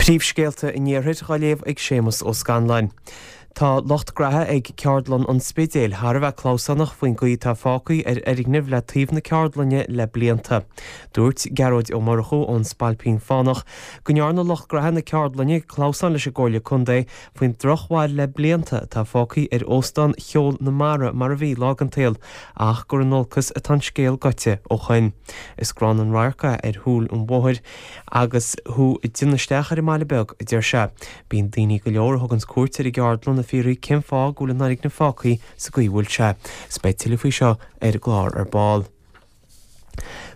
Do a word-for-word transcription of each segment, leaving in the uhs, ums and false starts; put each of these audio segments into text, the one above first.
Príomhscéalta an Iarthair á léamh ag Séamus Ó Scanláin. Tá lucht graithe ag Ceardlann an Spidéil thar a bheith clamhsánach faoin gcaoi atá fágtha ar fhoirgnimh le taobh na ceardlainne le blianta. Dúirt Gearóid Ó Murchú ón Spailpín Fánach go ndearna lucht graithe na ceardlainne clamhsán leis an gComhairle Contae faoin drochbhail le blianta atá fágtha ar Óstán Cheol na Mara mar a bhí lá den tsaol ach gur in olcas atá an scéal gaibhte ó shoin. Is gránna an radharc é ar shúil an bhóthair agus thú ag déanamh isteach ar an mbaile beag, a deir sé. Bíonn daoine go leor a thuganns cuairt ar an gceardlann ag fiafraí cén fáth go bhfuil an fhoirgneamh fágtha sa gcaoi a bhfuil sé. 'S beidh tuilleadh faoi seo ar an gclár ar ball.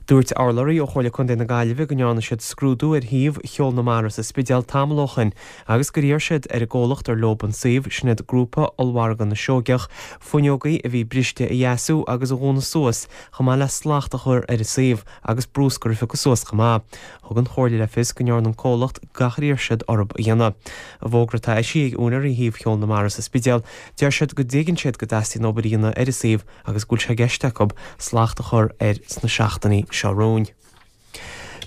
Dúirt urlabhraí ó Chomhairle Contae na Gaillimhe go ndearna siad scrúdú ar shuíomh Cheol na Mara sa Spidéal tamall ó shoin agus gur iarr siad ar an gcomhlacht ar leob an suíomh, sin iad Grúpa Ollmhargadh na Seoigeach, fuinneogaí a bhí briste a dheasú agus a dhúnadh suas chomh maith le slacht a chur ar an suíomh agus brúscar a phiocadh suas chomh maith. Thug an Chomhairle le fios go ndearna an comhlacht gach ar iarr siad orthu a dhéanamh. I bhfógra atá eisithe ag úinéirí shuíomh Cheol na Mara sa Spidéal, deir siad go dtuigeann siad go dteastaíonn obair a dhéanamh ar an suíomh agus go bhfuil sé i gceist acu slacht a chur air sna seachtainí seo romhainn.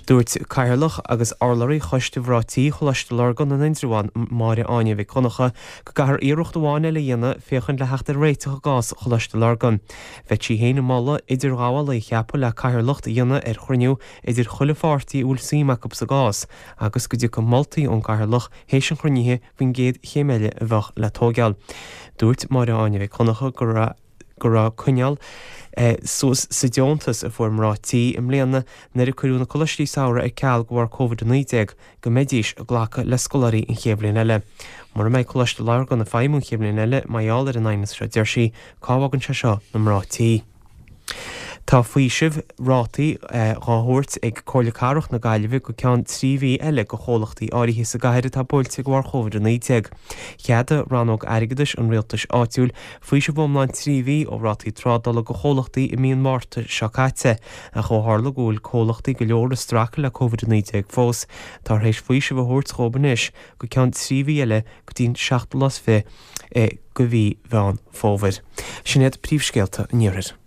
Dúirt Cathaoirleach agus urlabhraí Choiste Mhná Tí Choláiste Lurgan in Indreabhán, Máire Áine Mhic Dhonncha, go gcaithfear iarracht amháin eile a dhéanamh féachaint le theacht ar réiteach i gcás Choláiste Lurgan. Bheadh sí féin ag moladh idirghabhálaí a cheapadh le cathaoirleacht a dhéanamh ar chruinniú idir chuile pháirtí a bhfuil suim acu sa gcás agus go dtiocfadh moltaí ón gcathaoirleach théis an chruinnithe faoin gcéad chéim eile a bheadh le tógáil. Dúirt Máire Áine Mhic Dhonncha go raibh go raibh coinneáil suas sa deontas a fuair mná tí i mbliana nuair a cuireadh na coláistí samhraidh ar ceal de bharr Covid a naoi déag go mbeidís ag glacadh le scoláirí an chéad bhliain eile. Mura mbeidh Coláiste Lurgan ag feidhmiú an chéad bhliain eile mar gheall ar an aighneas seo, deir sí, cá bhfágann sé seo na mná tí? Tá faoiseamh rátaí dhá thabhairt ag Comhairle Cathrach na Gaillimhe go ceann trí mhí eile do chomhlachtaí áirithe sa gcathair atá buailte de bharr Covid a naoi déag. Cheadaigh Rannóg Airgeadais an Rialtais Áitiúil faoiseamh iomlán trí mhí ó rátaí trádála do chomhlachtaí i mí an Mhárta seo caite, ach ó tharla go bhfuil comhlachtaí go leor ag streachailt le Covid a naoi déag fós, táthar théis faoiseamh a thabhairt dhóibh anois go ceann trí mhí eile go dtí'n seachtú lá is fiche de mhí Mheán Fómhair. Sin iad príomhscéalta an Iarthair.